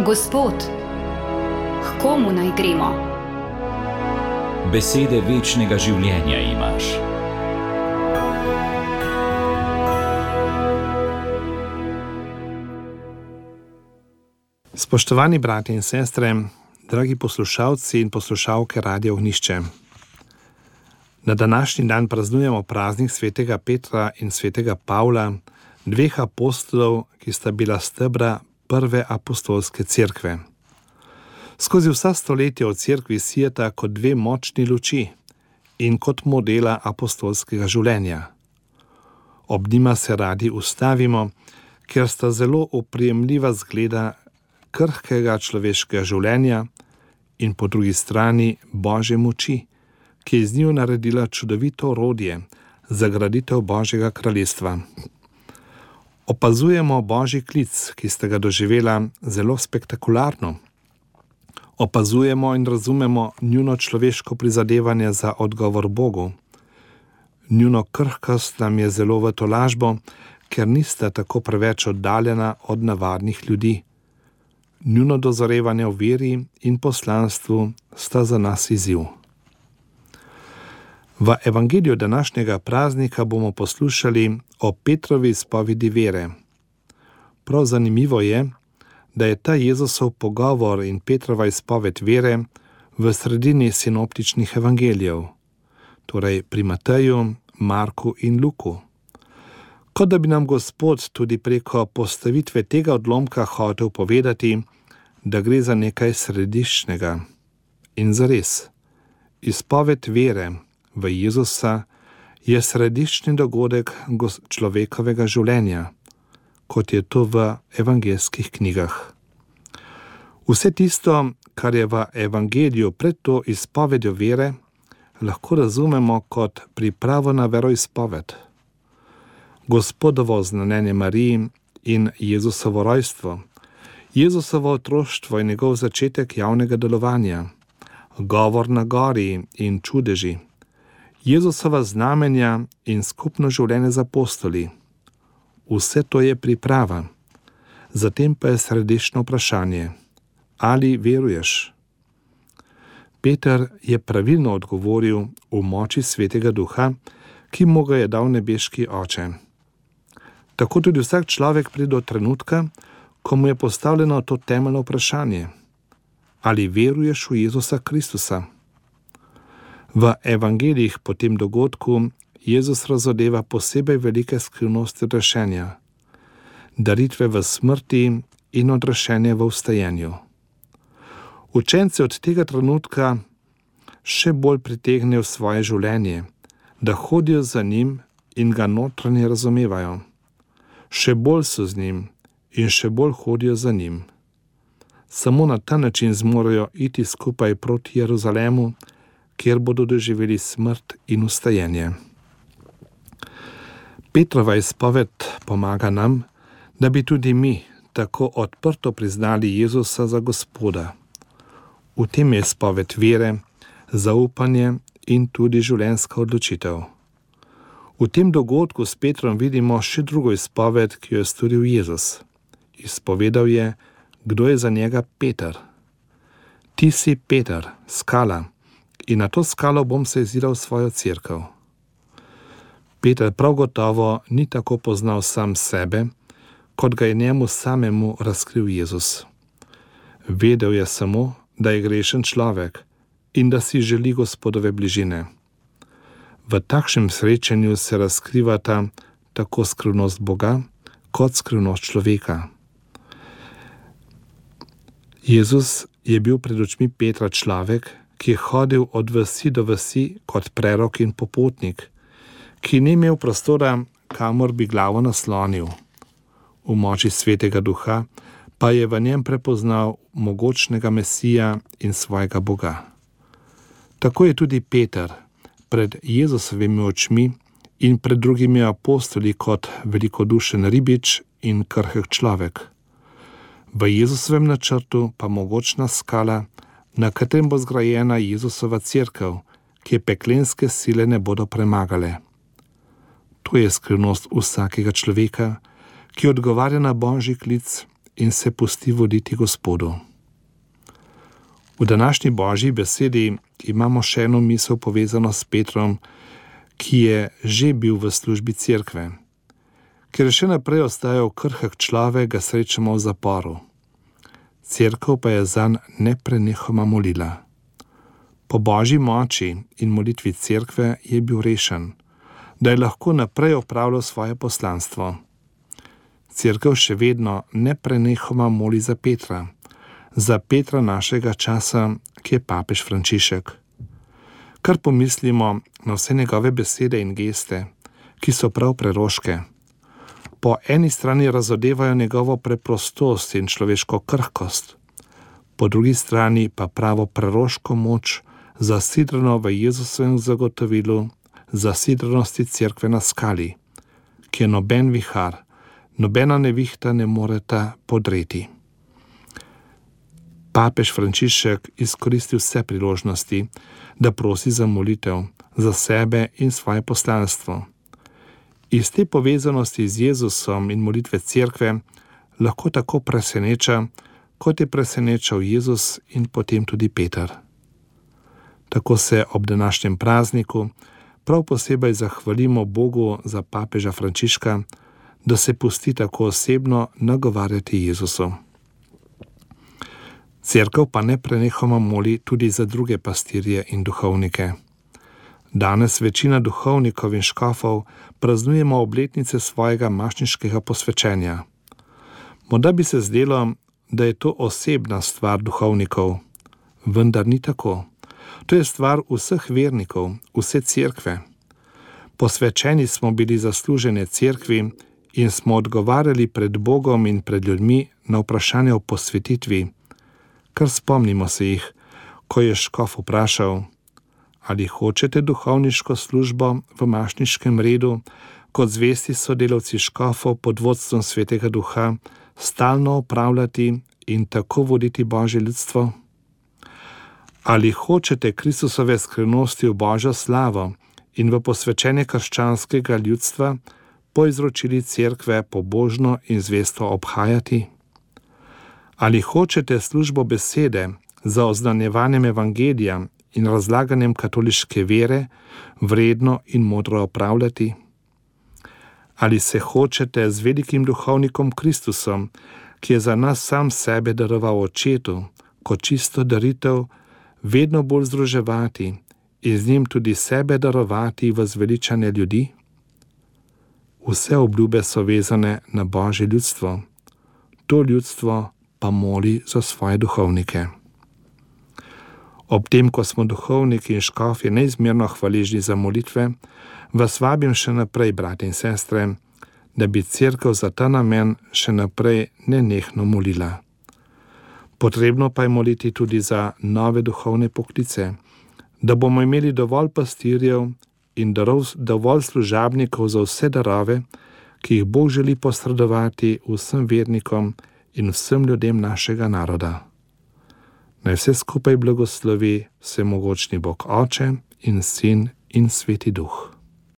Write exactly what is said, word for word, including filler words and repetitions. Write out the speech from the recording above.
Gospod, k komu naj gremo? Besede večnega življenja imaš. Spoštovani bratje in sestre, dragi poslušalci in poslušalke Radia Ognjišče. Na današnji dan praznujemo praznik svetega Petra in svetega Pavla, dveh apostolov, ki sta bila stebra prve apostolske cerkve. Skozi vsa stoletja v cerkvi sijeta kot dve močni luči in kot modela apostolskega življenja. Ob njima se radi ustavimo, ker sta zelo oprijemljiva zgleda krhkega človeškega življenja in po drugi strani Božje moči, ki je z njo naredila čudovito orodje za graditev Božjega kraljestva. Opazujemo Božji klic, ki sta ga doživela zelo spektakularno. Opazujemo in razumemo njuno človeško prizadevanje za odgovor Bogu. Njuno krhkost nam je zelo v tolažbo, ker nista tako preveč oddaljena od navadnih ljudi. Njuno dozorevanje v veri in poslanstvu sta za nas izziv. V evangeliju današnjega praznika bomo poslušali o Petrovi izpovedi vere. Prav zanimivo je, da je ta Jezusov pogovor in Petrova izpoved vere v sredini sinoptičnih evangelijev, torej pri Mateju, Marku in Luku. Kot da bi nam Gospod tudi preko postavitve tega odlomka hotel povedati, da gre za nekaj središčnega. In zares, izpoved vere v Jezusa je središčni dogodek človekovega življenja, kot je to v evangeljskih knjigah. Vse tisto, kar je v evangeliju pred to izpovedjo vere, lahko razumemo kot pripravo na veroizpoved. Gospodovo znamenje Mariji in Jezusovo rojstvo, Jezusovo otroštvo in njegov začetek javnega delovanja, govor na gori in čudeži, Jezusova znamenja in skupno življenje z apostoli. Vse to je priprava. Zatem pa je središčno vprašanje: ali veruješ? Peter je pravilno odgovoril v moči Svetega Duha, ki mu ga je dal nebeški Oče. Tako tudi vsak človek pride do trenutka, ko mu je postavljeno to temeljno vprašanje: ali veruješ v Jezusa Kristusa? V evangelijih po tem dogodku Jezus razodeva posebej velike skrivnosti rešenja, daritve v smrti in odrešenje v vstajenju. Učenci od tega trenutka še bolj pritegnejo svoje življenje, da hodijo za njim in ga notranje razumevajo. Še bolj so z njim in še bolj hodijo za njim. Samo na ta način zmorejo iti skupaj proti Jeruzalemu, kjer bodo doživeli smrt in vstajenje. Petrova izpoved pomaga nam, da bi tudi mi tako odprto priznali Jezusa za Gospoda. V tem je izpoved vere, zaupanje in tudi življenjska odločitev. V tem dogodku s Petrom vidimo še drugo izpoved, ki jo je storil Jezus. Izpovedal je, kdo je za njega Peter. Ti si Peter, skala, in na to skalo bom se izziral svojo cerkev. Peter prav gotovo ni tako poznal sam sebe, kot ga je njemu samemu razkril Jezus. Vedel je samo, da je grešen človek in da si želi Gospodove bližine. V takšnem srečanju se razkrivata tako skrivnost Boga, kot skrivnost človeka. Jezus je bil pred očmi Petra človek, ki je hodil od vasi do vasi kot prerok in popotnik, ki ni imel prostora, kamor bi glavo naslonil. V moči Svetega Duha pa je v njem prepoznal mogočnega Mesija in svojega Boga. Tako je tudi Peter pred Jezusovimi očmi in pred drugimi apostoli kot velikodušen ribič in krhek človek. V Jezusovem načrtu pa mogočna skala, na katerem bo zgrajena Jezusova cerkev, ki je peklenske sile ne bodo premagale. To je skrivnost vsakega človeka, ki odgovarja na Božji klic in se pusti voditi Gospodu. V današnji Božji besedi imamo še eno misel povezano s Petrom, ki je že bil v službi cerkve. Ker je še naprej ostajal krhek človek, ga srečamo v zaporu. Cerkev pa je zanj neprenehoma molila. Po Božji moči in molitvi cerkve je bil rešen, da je lahko naprej opravljal svoje poslanstvo. Cerkev še vedno neprenehoma moli za Petra, za Petra našega časa, ki je papež Frančišek. Kar pomislimo na vse njegove besede in geste, ki so prav preroške. Po eni strani razodevajo njegovo preprostost in človeško krhkost, po drugi strani pa pravo preroško moč, zasidrano v Jezusovem zagotovilu zasidrenosti cerkve na skali, ki je noben vihar, nobena nevihta ne moreta podreti. Papež Frančišek izkoristi vse priložnosti, da prosi za molitev, za sebe in svoje poslanstvo. Iz te povezanosti z Jezusom in molitve cerkve lahko tako preseneča, kot je presenečal Jezus in potem tudi Peter. Tako se ob današnjem prazniku prav posebej zahvalimo Bogu za papeža Frančiška, da se pusti tako osebno nagovarjati Jezusu. Cerkev pa neprenehoma moli tudi za druge pastirje in duhovnike. Danes večina duhovnikov in škofov praznujemo obletnice svojega mašniškega posvečenja. Morda bi se zdelo, da je to osebna stvar duhovnikov, vendar ni tako. To je stvar vseh vernikov, vse cerkve. Posvečeni smo bili za služenje cerkvi in smo odgovarjali pred Bogom in pred ljudmi na vprašanje o posvetitvi, kar spomnimo se jih, ko je škof vprašal, ali hočete duhovniško službo v mašniškem redu, kot zvesti sodelavci škofov pod vodstvom Svetega Duha, stalno opravljati in tako voditi Božje ljudstvo? Ali hočete Kristusove skrivnosti v Božjo slavo in v posvečenje krščanskega ljudstva po izročili cerkve pobožno in zvesto obhajati? Ali hočete službo besede za oznanjevanjem evangelija in razlaganjem katoliške vere vredno in modro opravljati? Ali se hočete z velikim duhovnikom Kristusom, ki je za nas sam sebe daroval Očetu, kot čisto daritev, vedno bolj združevati in z njim tudi sebe darovati v zveličanje ljudi? Vse obljube so vezane na Božje ljudstvo. To ljudstvo pa moli za svoje duhovnike. Ob tem, ko smo duhovniki in škofje neizmerno hvaležni za molitve, vas vabim še naprej, brati in sestre, da bi cerkev za ta namen še naprej nenehno molila. Potrebno pa je moliti tudi za nove duhovne poklice, da bomo imeli dovolj pastirjev in dovolj služabnikov za vse darove, ki jih Bog želi posredovati vsem vernikom in vsem ljudem našega naroda. Naj vse skupaj blagoslovi vsemogočni Bog Oče in Sin in Sveti Duh.